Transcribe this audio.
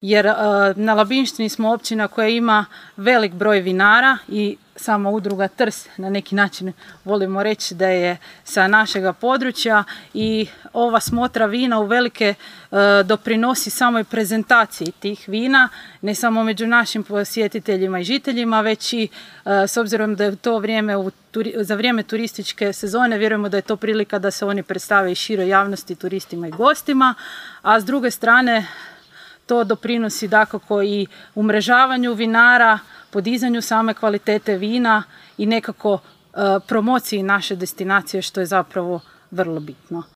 jer na Labinštini smo općina koja ima velik broj vinara i sama udruga Trst na neki način volimo reći da je sa našega područja i ova smotra vina uvelike doprinosi samoj prezentaciji tih vina, ne samo među našim posjetiteljima i žiteljima, već i s obzirom da je to vrijeme za vrijeme turističke sezone, vjerujemo da je to prilika da se oni predstave i široj javnosti, turistima i gostima, a s druge strane to doprinosi dakako i umrežavanju vinara, podizanju same kvalitete vina i nekako promociji naše destinacije, što je zapravo vrlo bitno.